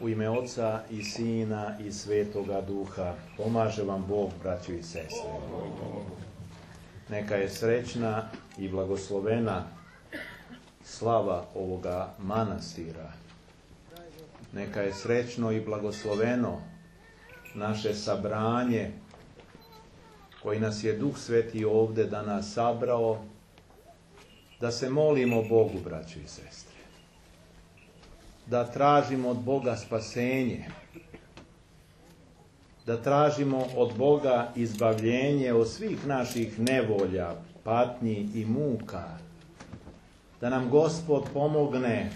U ime Oca i Sina i Svetoga Duha, pomaže vam Bog, braćo i sestre. Neka je srećna i blagoslovena slava ovoga manastira. Neka je srećno i blagosloveno naše sabranje koji nas je Duh Sveti ovdje danas sabrao, da se molimo Bogu, braćo i sestre. Da tražimo od Boga spasenje, da tražimo od Boga izbavljenje od svih naših nevolja, patnji i muka, da nam Gospod pomogne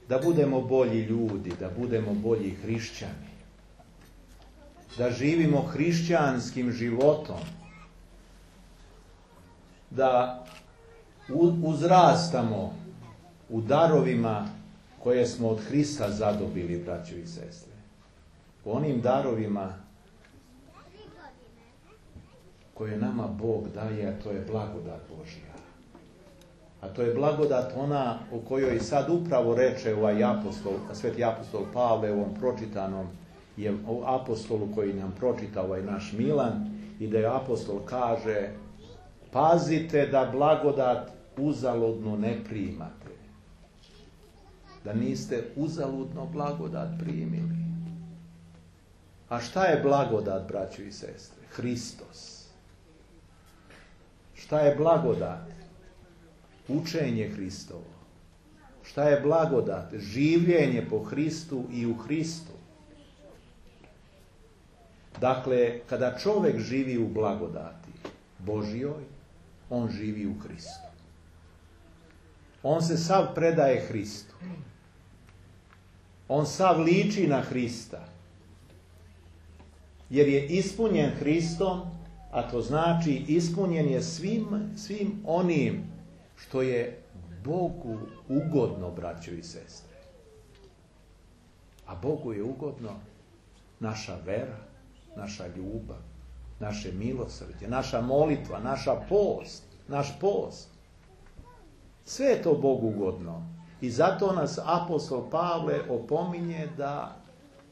da budemo bolji ljudi, da budemo bolji hrišćani, da živimo hrišćanskim životom, da uzrastamo u darovima koje smo od Hrista zadobili, braćo i sestre. U onim darovima koje nama Bog daje, a to je blagodat Božja. A to je blagodat ona o kojoj sad upravo reče ovaj apostol, sveti apostol Pavle, ovom pročitanom apostolu koji nam pročita ovaj naš Milan, i da je apostol kaže: pazite da blagodat uzaludno ne primate. Da niste uzaludno blagodat primili. A šta je blagodat, braćo i sestre? Hristos. Šta je blagodat? Učenje Hristovo. Šta je blagodat? Življenje po Hristu i u Hristu. Dakle, kada čovjek živi u blagodati Božjoj, on živi u Hristu. On se sav predaje Hristu. On sav liči na Hrista. Jer je ispunjen Hristom, a to znači ispunjen je svim onim što je Bogu ugodno, braćo i sestre. A Bogu je ugodno naša vera, naša ljubav, naše milosrđe, naša molitva, naš post. Sve je to Bogu ugodno. I zato nas apostol Pavle opominje da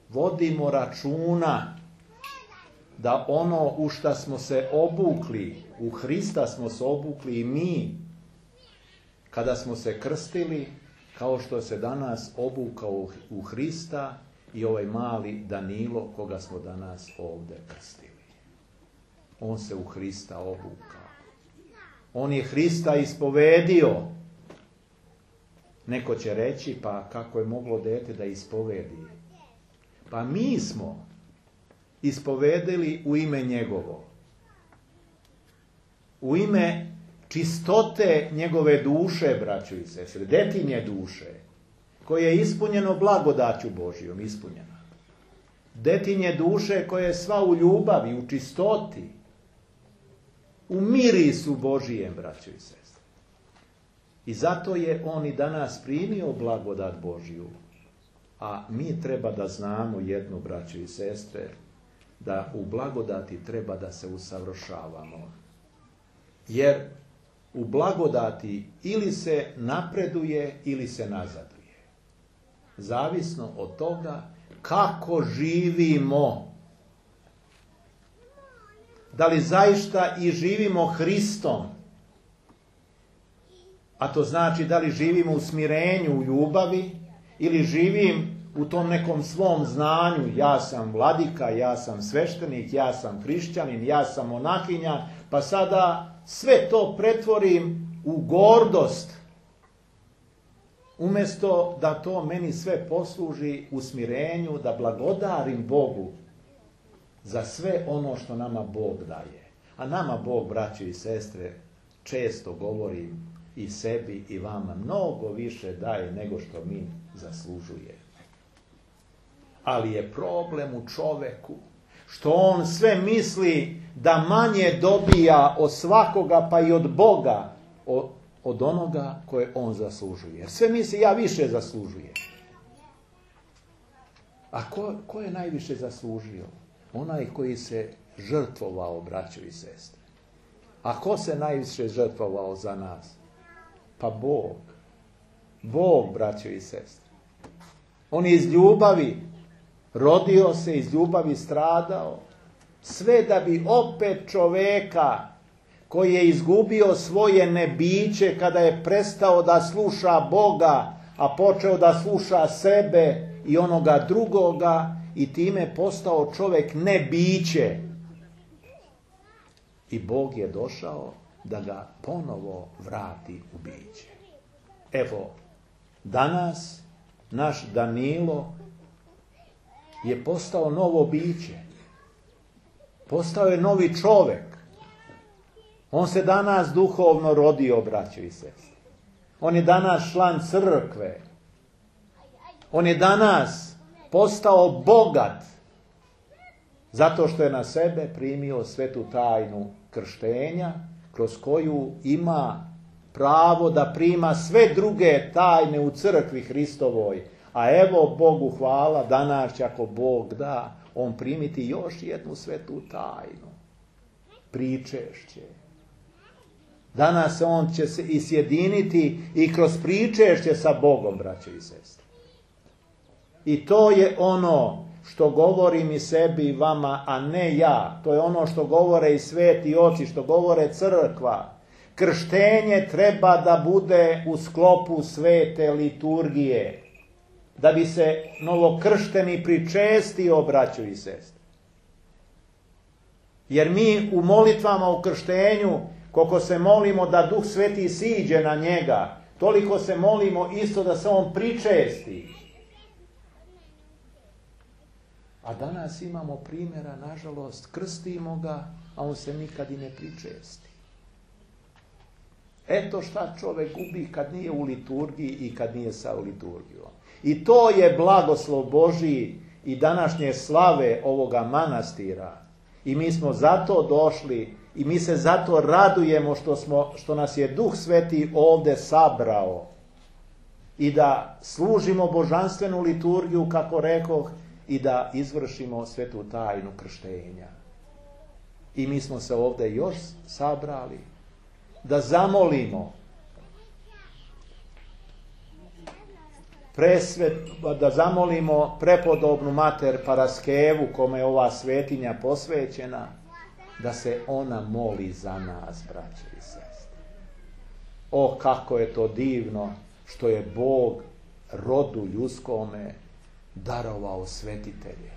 vodimo računa da ono u šta smo se obukli, u Hrista smo se obukli i mi, kada smo se krstili, kao što se danas obukao u Hrista i ovaj mali Danilo, koga smo danas ovdje krstili. On se u Hrista obukao. On je Hrista ispovedio. Neko će reći, pa kako je moglo dete da ispovedi? Pa mi smo ispovedili u ime njegovo. U ime čistote njegove duše, braćo i sestre, detinje duše, koje je ispunjeno blagodaću Božjom, ispunjeno. Detinje duše koje je sva u ljubavi, u čistoti, u mirisu Božijem, braćo i sestre. I zato je on i danas primio blagodat Božju. A mi treba da znamo jedno, braćo i sestre, da u blagodati treba da se usavršavamo. Jer u blagodati ili se napreduje ili se nazaduje. Zavisno od toga kako živimo. Da li zaista i živimo Hristom? A to znači da li živimo u smirenju, u ljubavi, ili živim u tom nekom svom znanju, ja sam vladika, ja sam sveštenik, ja sam hrišćanin, ja sam monahinja, pa sada sve to pretvorim u gordost, umjesto da to meni sve posluži u smirenju, da blagodarim Bogu za sve ono što nama Bog daje. A nama Bog, braćo i sestre, često govorim i sebi i vama, mnogo više daje nego što mi zaslužujemo. Ali je problem u čoveku što on sve misli da manje dobija od svakoga, pa i od Boga, od onoga koje on zaslužuje. Jer sve misli, ja više zaslužujem. A ko je najviše zaslužio? Onaj koji se žrtvovao, braćo i sestre. A ko se najviše žrtvovao za nas? Pa Bog. Bog, braćo i sestre. On je iz ljubavi rodio se, iz ljubavi stradao, sve da bi opet čoveka koji je izgubio svoje nebiće kada je prestao da sluša Boga, a počeo da sluša sebe i onoga drugoga i time postao čovjek nebiće. I Bog je došao da ga ponovo vrati u biće. Evo, danas naš Danilo je postao novo biće. Postao je novi čovjek. On se danas duhovno rodio, braćo i sestre. On je danas član crkve. On je danas postao bogat zato što je na sebe primio svetu tajnu krštenja, kroz koju ima pravo da prima sve druge tajne u crkvi Hristovoj. A evo, Bogu hvala, danas će, ako Bog da, on primiti još jednu svetu tajnu. Pričešće. Danas on će se i sjediniti i kroz pričešće sa Bogom, braće i sestre. I to je ono što govorim i sebi i vama, a ne ja. To je ono što govore i sveti oci, što govore crkva. Krštenje treba da bude u sklopu svete liturgije, da bi se novokršteni pričestio, braćo i sestre. Jer mi u molitvama u krštenju, koliko se molimo da Duh Sveti siđe na njega, toliko se molimo isto da se on pričesti. A danas imamo primjera, nažalost, krstimo ga, a on se nikad i ne pričesti. Eto šta čovjek gubi kad nije u liturgiji i kad nije sa liturgijom. I to je blagoslov Božiji i današnje slave ovoga manastira. I mi smo zato došli i mi se zato radujemo što nas je Duh Sveti ovdje sabrao. I da služimo božanstvenu liturgiju, kako rekoh, i da izvršimo svetu tajnu krštenja. I mi smo se ovdje još sabrali da zamolimo da zamolimo prepodobnu mater Paraskevu, kome je ova svetinja posvećena, da se ona moli za nas, braće i sestre. O, kako je to divno što je Bog rodu ljudskome darovao svetitelje.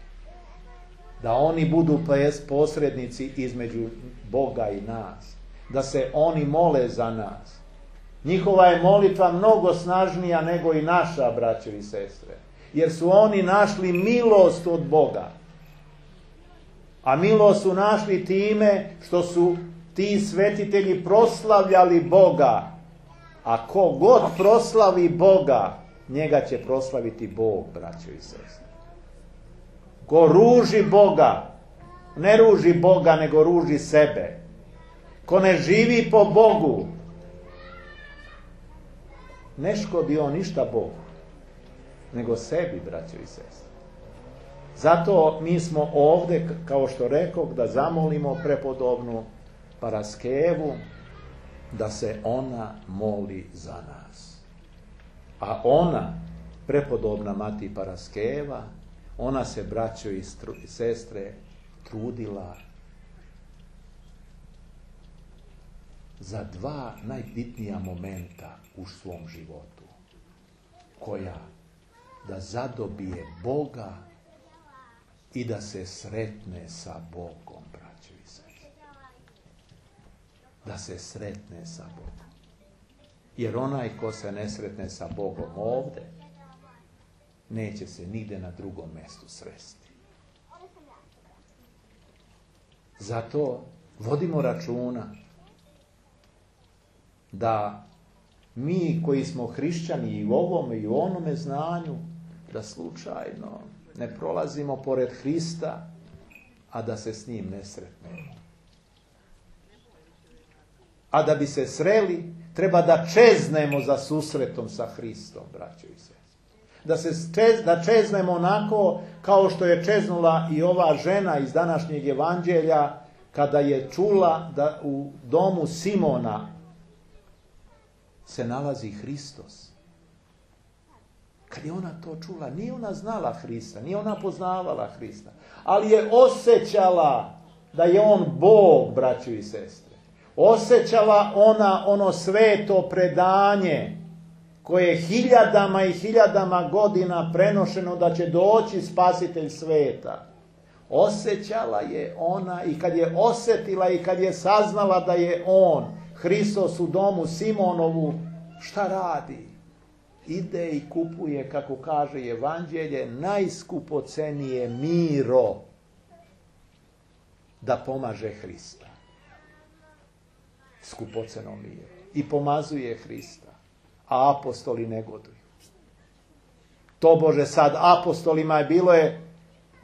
Da oni budu posrednici između Boga i nas. Da se oni mole za nas. Njihova je molitva mnogo snažnija nego i naša, braćo i sestre. Jer su oni našli milost od Boga. A milost su našli time što su ti svetitelji proslavljali Boga. A ko god proslavi Boga, njega će proslaviti Bog, braćo i sestre. Ko ruži Boga, ne ruži Boga, nego ruži sebe. Ko ne živi po Bogu, ne škodi on ništa Bogu, nego sebi, braćo i sestre. Zato mi smo ovdje, kao što rekoh, da zamolimo prepodobnu Paraskevu, da se ona moli za nas. A ona, prepodobna mati Paraskeva, ona se, braćo i sestre, trudila za dva najbitnija momenta u svom životu. Koja? Da zadobije Boga i da se sretne sa Bogom, braćo i sestre. Da se sretne sa Bogom. Jer onaj ko se ne sretne sa Bogom ovdje, neće se nigde na drugom mjestu sresti. Zato vodimo računa da mi koji smo hrišćani i u ovome i u onome znanju, da slučajno ne prolazimo pored Hrista, a da se s njim ne sretnemo. A da bi se sreli, treba da čeznemo za susretom sa Hristom, braćo i sestre. Da čeznemo onako kao što je čeznula i ova žena iz današnjeg evanđelja, kada je čula da u domu Simona se nalazi Hristos. Kad je ona to čula, nije ona znala Hrista, nije ona poznavala Hrista, ali je osjećala da je on Bog, braćo i sestre. Osjećala ona ono sveto predanje koje je hiljadama i hiljadama godina prenošeno da će doći spasitelj sveta. Osjećala je ona i kad je osjetila i kad je saznala da je on, Hristos u domu Simonovu, šta radi? Ide i kupuje, kako kaže Evanđelje, najskupocenije miro da pomaže Hrista. Skupoceno miro. I pomazuje Hrista. A apostoli negoduju. Tobože sad apostolima je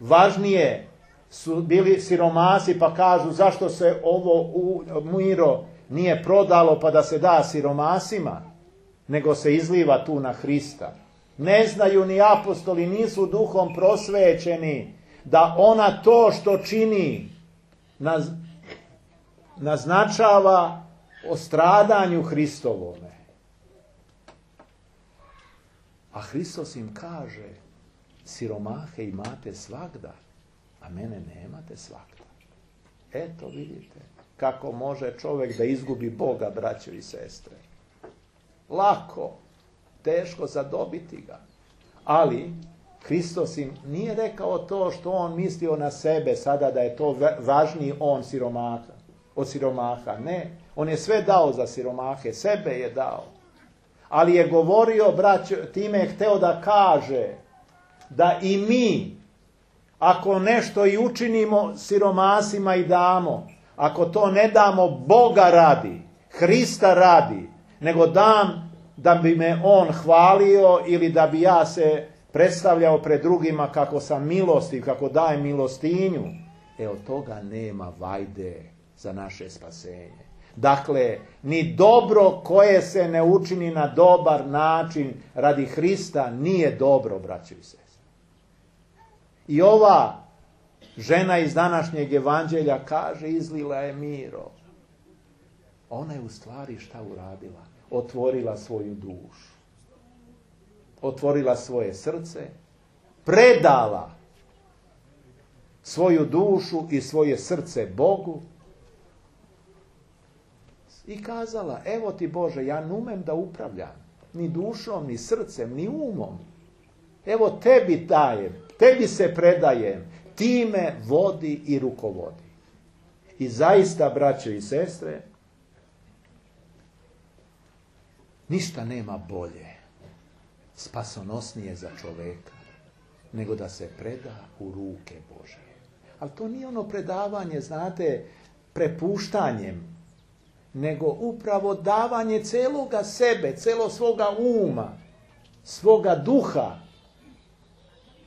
važnije, su bili siromasi pa kažu zašto se ovo miro nije prodalo pa da se da siromasima, nego se izliva tu na Hrista. Ne znaju ni apostoli, nisu duhom prosvećeni da ona to što čini naznačava o stradanju Hristovome. A Hristos im kaže, siromahe imate svagda, a mene nemate svagda. Eto vidite kako može čovjek da izgubi Boga, braćo i sestre. Lako, teško zadobiti ga. Ali Hristos im nije rekao to što on mislio na sebe sada da je to važniji on od siromaha. Ne, on je sve dao za siromahe, sebe je dao. Ali je govorio, braćo, time je hteo da kaže da i mi, ako nešto i učinimo siromasima i damo, ako to ne damo Boga radi, Hrista radi, nego dam da bi me on hvalio ili da bi ja se predstavljao pred drugima kako sam milostiv, kako dajem milostinju, od toga nema vajde za naše spasenje. Dakle, ni dobro koje se ne učini na dobar način radi Hrista nije dobro, braćo i sestre. I ova žena iz današnjeg evanđelja kaže, izlila je miro. Ona je u stvari šta uradila? Otvorila svoju dušu. Otvorila svoje srce, predala svoju dušu i svoje srce Bogu i kazala, evo ti Bože, ja ne umem da upravljam ni dušom, ni srcem, ni umom. Evo tebi dajem, tebi se predajem, ti me vodi i rukovodi. I zaista, braćo i sestre, ništa nema bolje, spasonosnije za čoveka, nego da se preda u ruke Božje. Ali to nije ono predavanje, znate, prepuštanjem, nego upravo davanje celoga sebe, celo svoga uma, svoga duha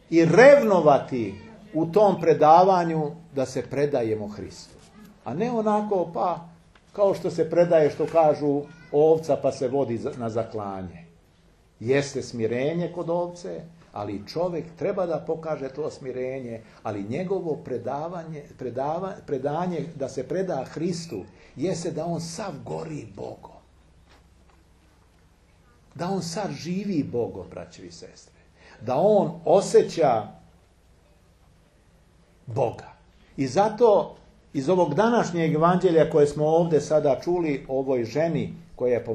i revnovati u tom predavanju da se predajemo Hristu. A ne onako pa kao što se predaje, što kažu, ovca pa se vodi na zaklanje. Jeste smirenje kod ovce, ali čovjek treba da pokaže to smirenje, ali njegovo predanje da se preda Hristu jeste da on sav gori Bogom. Da on sav živi Bogom, braćo i sestre. Da on osjeća Boga. I zato iz ovog današnjeg evanđelja koje smo ovdje sada čuli o ovoj ženi koja je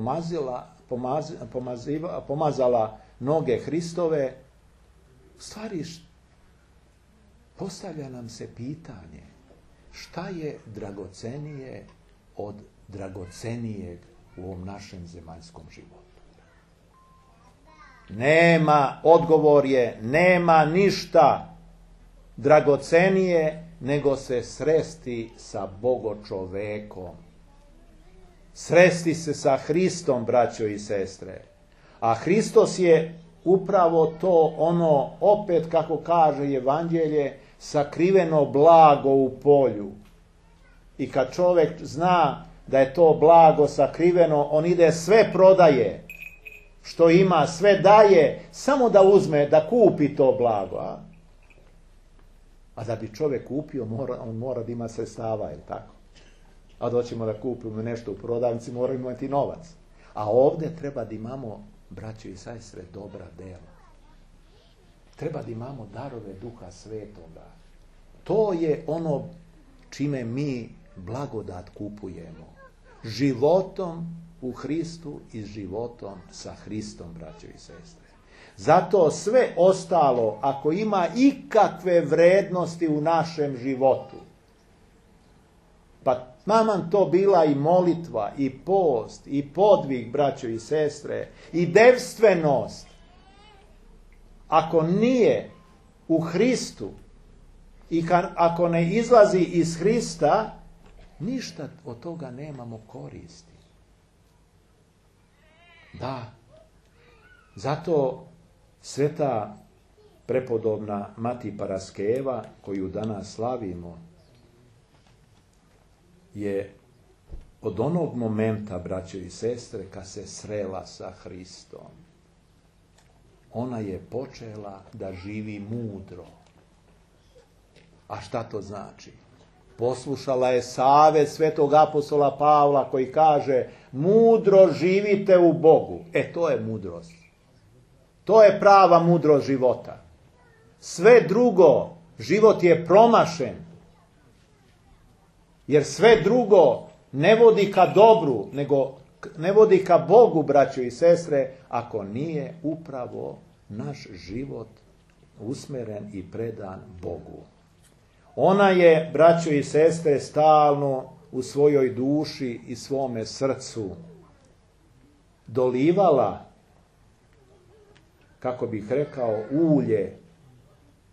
pomazala noge Hristove, u stvari postavlja nam se pitanje šta je dragocenije od dragocenijeg u ovom našem zemaljskom životu. Nema, odgovor je, nema ništa dragocenije nego se sresti sa Bogočovekom. Sresti se sa Hristom, braćo i sestre. A Hristos je upravo to ono, opet kako kaže Evanđelje, sakriveno blago u polju. I kad čovjek zna da je to blago sakriveno, on ide sve prodaje, što ima, sve daje, samo da uzme, da kupi to blago. A da bi čovjek kupio, on mora da ima sredstava, je tako? A doćemo da kupimo nešto u prodavnici, moramo imati novac. A ovdje treba da imamo, braćo i sestre, dobra dela. Treba da imamo darove Duha Svetoga. To je ono čime mi blagodat kupujemo. Životom u Hristu i životom sa Hristom, braćo i sestre. Zato sve ostalo, ako ima ikakve vrednosti u našem životu, pa maman to bila i molitva, i post, i podvig, braćo i sestre, i devstvenost, ako nije u Hristu i ako ne izlazi iz Hrista, ništa od toga nemamo koristi. Da, zato sveta prepodobna Mati Paraskeva, koju danas slavimo, je od onog momenta, braćo i sestre, kad se srela sa Hristom, ona je počela da živi mudro. A šta to znači? Poslušala je savet svetog apostola Pavla koji kaže: mudro živite u Bogu. To je mudrost. To je prava mudrost života. Sve drugo, život je promašen. Jer sve drugo ne vodi ka dobru, nego ne vodi ka Bogu, braćo i sestre, ako nije upravo naš život usmeren i predan Bogu. Ona je, braćo i sestre, stalno u svojoj duši i svome srcu dolivala, kako bih rekao, ulje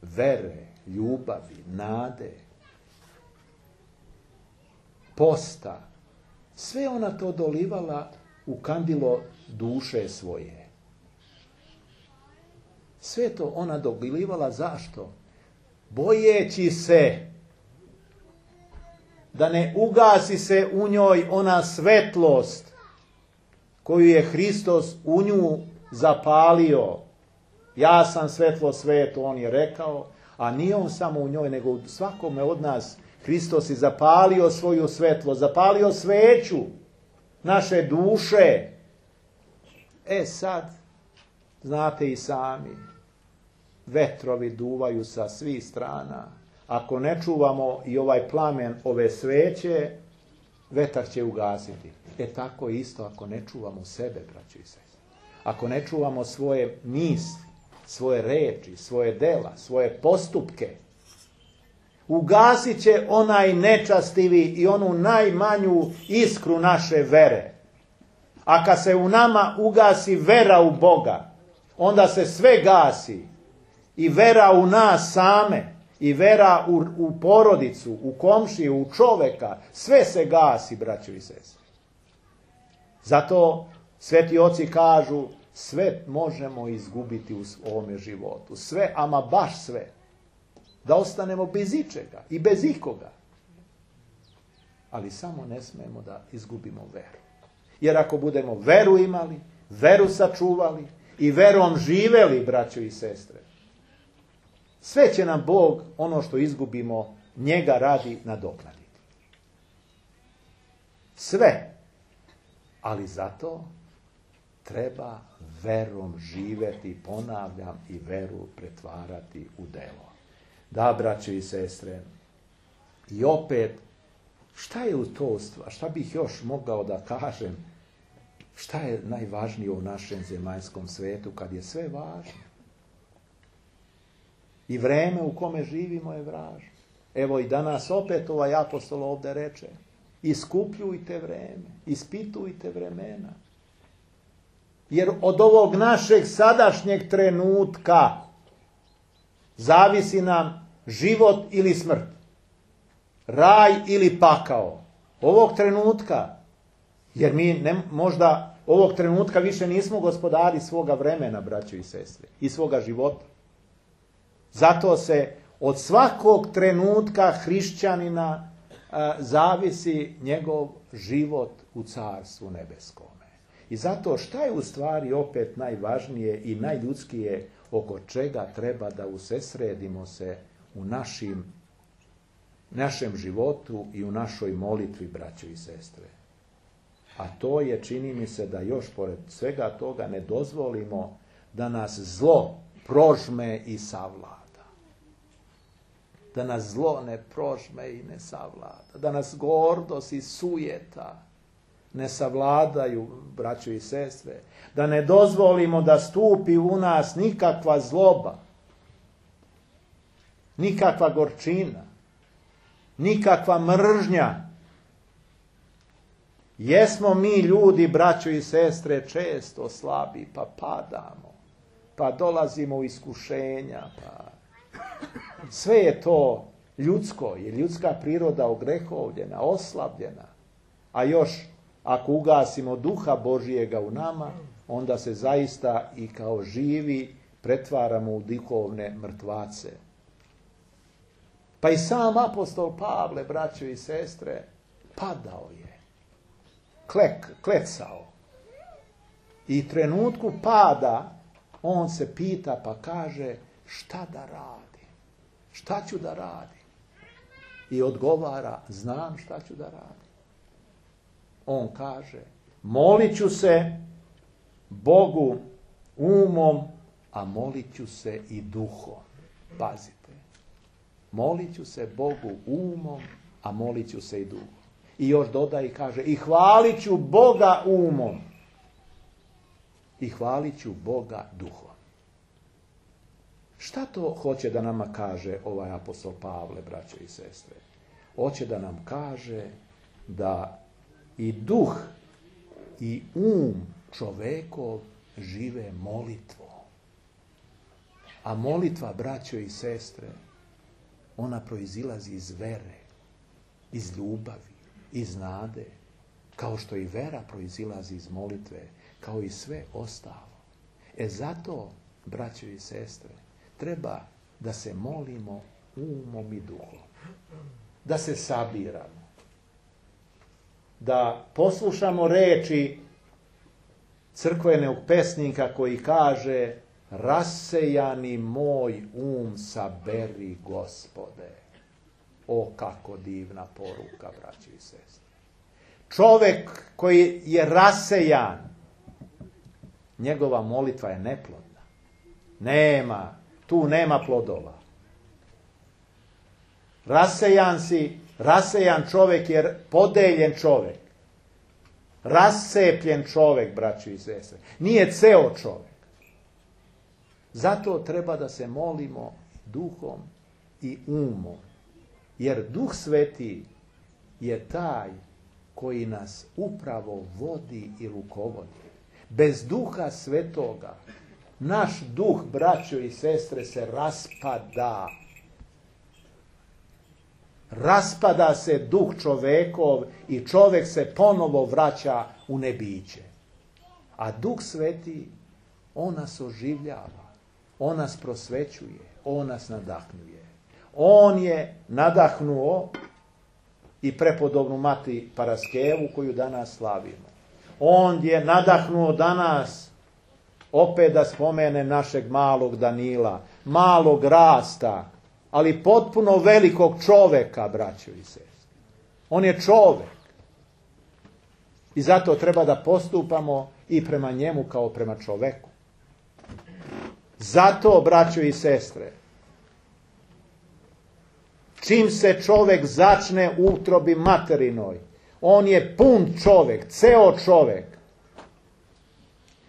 vere, ljubavi, nade, posta. Sve ona to dolivala u kandilo duše svoje. Sve to ona dolivala zašto? Bojeći se da ne ugasi se u njoj ona svetlost koju je Hristos u nju zapalio. Ja sam svetlo svetu, on je rekao, a nije on samo u njoj, nego u svakome od nas. Hristos je zapalio svoju svetlo, zapalio sveću naše duše. Sad, znate i sami, vetrovi duvaju sa svih strana. Ako ne čuvamo i ovaj plamen ove sveće, vetar će ugasiti. Tako isto ako ne čuvamo sebe, braćo i sestre. Ako ne čuvamo svoje misli, svoje reči, svoje dela, svoje postupke, ugasit će onaj nečastivi i onu najmanju iskru naše vere. A kad se u nama ugasi vera u Boga, onda se sve gasi. I vera u nas same, i vera u porodicu, u komšiju, u čoveka, sve se gasi, braćo i sestre. Zato sveti oci kažu, sve možemo izgubiti u ovome životu. Sve, ama baš sve. Da ostanemo bez ičega i bez ikoga. Ali samo ne smemo da izgubimo veru. Jer ako budemo veru imali, veru sačuvali i verom živeli, braćo i sestre, sve će nam Bog, ono što izgubimo, njega radi nadoknaditi. Sve. Ali zato treba verom živeti, ponavljam, i veru pretvarati u delo. Da, braćo i sestre, i opet, šta je u to stvar? Šta bih još mogao da kažem? Šta je najvažnije u našem zemaljskom svetu kad je sve važno? I vreme u kome živimo je važno. Evo i danas opet ovaj apostol ovdje reče: iskupljujte vreme, ispitujte vremena. Jer od ovog našeg sadašnjeg trenutka zavisi nam život ili smrt, raj ili pakao. Ovog trenutka, jer mi možda ovog trenutka više nismo gospodari svoga vremena, braćo i sestre, i svoga života. Zato se od svakog trenutka hrišćanina zavisi njegov život u Carstvu nebeskome. I zato šta je u stvari opet najvažnije i najljudskije, oko čega treba da usesredimo se u našem životu i u našoj molitvi, braćo i sestre. A to je, čini mi se, da još pored svega toga ne dozvolimo da nas zlo prožme i savlada. Da nas zlo ne prožme i ne savlada. Da nas gordost i sujeta ne savladaju, braćo i sestre. Da ne dozvolimo da stupi u nas nikakva zloba, nikakva gorčina, nikakva mržnja. Jesmo mi ljudi, braćo i sestre, često slabi, pa padamo, pa dolazimo u iskušenja, pa sve je to ljudsko, je ljudska priroda ogrehovljena, oslabljena, a još ako ugasimo duha Božijega u nama, onda se zaista i kao živi pretvaramo u duhovne mrtvace. Pa i sam apostol Pavle, braćo i sestre, padao je, klecao. I trenutku pada on se pita pa kaže šta da radi? Šta ću da radim? I odgovara, znam šta ću da radim. On kaže, molit ću se Bogu umom, a molit ću se i duhom. Pazite, molit ću se Bogu umom, a molit ću se i duhom. I još dodaje i kaže, i hvalit ću Boga umom, i hvalit ću Boga duhom. Šta to hoće da nama kaže ovaj apostol Pavle, braćo i sestre? Hoće da nam kaže da i duh i čovekov žive molitvom. A molitva, braćo i sestre, ona proizilazi iz vere, iz ljubavi, iz nade, kao što i vera proizilazi iz molitve, kao i sve ostalo. Zato, braćo i sestre, treba da se molimo umom i duhom, da se sabiramo, da poslušamo reči crkvenog pesnika koji kaže rasejani moj saberi Gospode. O, kako divna poruka, braći i sestre. Čovjek koji je rasejan, njegova molitva je neplodna. Tu nema plodova. Rasejan čovjek je podeljen čovjek. Rasepljen čovjek, braći i sestre. Nije ceo čovjek. Zato treba da se molimo duhom i umom. Jer Duh Sveti je taj koji nas upravo vodi i rukovodi. Bez Duha Svetoga naš duh, braćo i sestre, se raspada. Raspada se duh čovekov i čovjek se ponovo vraća u nebiće. A Duh Sveti, on nas oživljava, on nas prosvećuje, on nas nadahnjuje. On je nadahnuo i prepodobnu mati Paraskevu koju danas slavimo. On je nadahnuo danas, opet da spomene našeg malog Danila, malog rasta, ali potpuno velikog čoveka, braćo i sestre. On je čovek. I zato treba da postupamo i prema njemu kao prema čoveku. Zato, braćo i sestre, čim se čovek začne u utrobi materinoj, on je pun čovek, ceo čovek.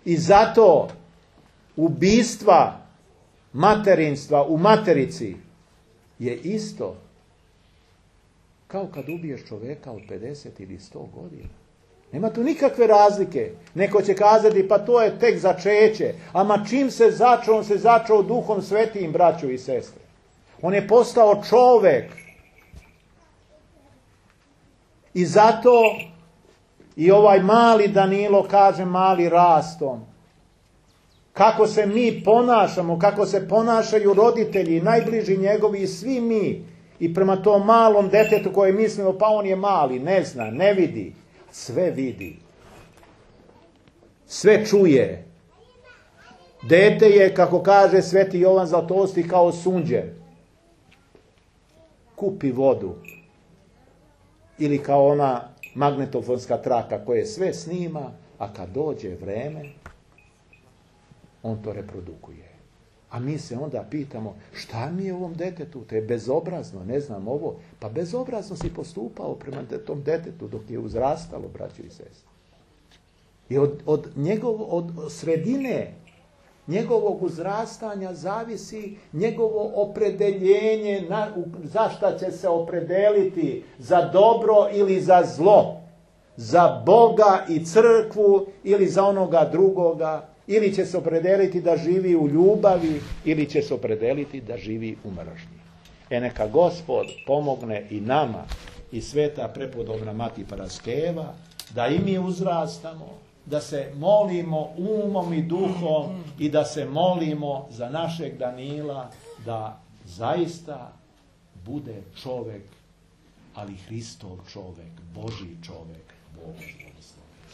I zato ubistva materinstva u materici je isto kao kad ubiješ čoveka od 50 ili 100 godina. Nema tu nikakve razlike. Neko će kazati, pa to je tek začeće. Ama čim se začeo, on se začeo Duhom Svetim, braćo i sestre. On je postao čovek. I zato i ovaj mali Danilo, kaže mali rastom, kako se mi ponašamo, kako se ponašaju roditelji, najbliži njegovi i svi mi, i prema tom malom detetu koje mislimo, pa on je mali, ne zna, ne vidi, sve vidi. Sve čuje. Dete je, kako kaže Sveti Jovan Zlatosti, kao sunđer. Kupi vodu. Ili kao ona magnetofonska traka koja sve snima, a kad dođe vreme, on to reprodukuje. A mi se onda pitamo, šta mi je ovom detetu? To je bezobrazno, ne znam ovo. Pa bezobrazno si postupao prema tom detetu dok je uzrastalo, braćo i sestre. I od sredine njegovog uzrastanja zavisi njegovo opredeljenje, za šta će se opredeliti, za dobro ili za zlo, za Boga i crkvu ili za onoga drugoga, ili će se opredeliti da živi u ljubavi, ili će se opredeliti da živi u mržnji. Neka Gospod pomogne i nama, i sveta prepodobna Mati Paraskeva, da i mi uzrastamo, da se molimo umom i duhom i da se molimo za našeg Danila, da zaista bude čovjek, ali Hristov čovjek, Božji čovjek, Bog.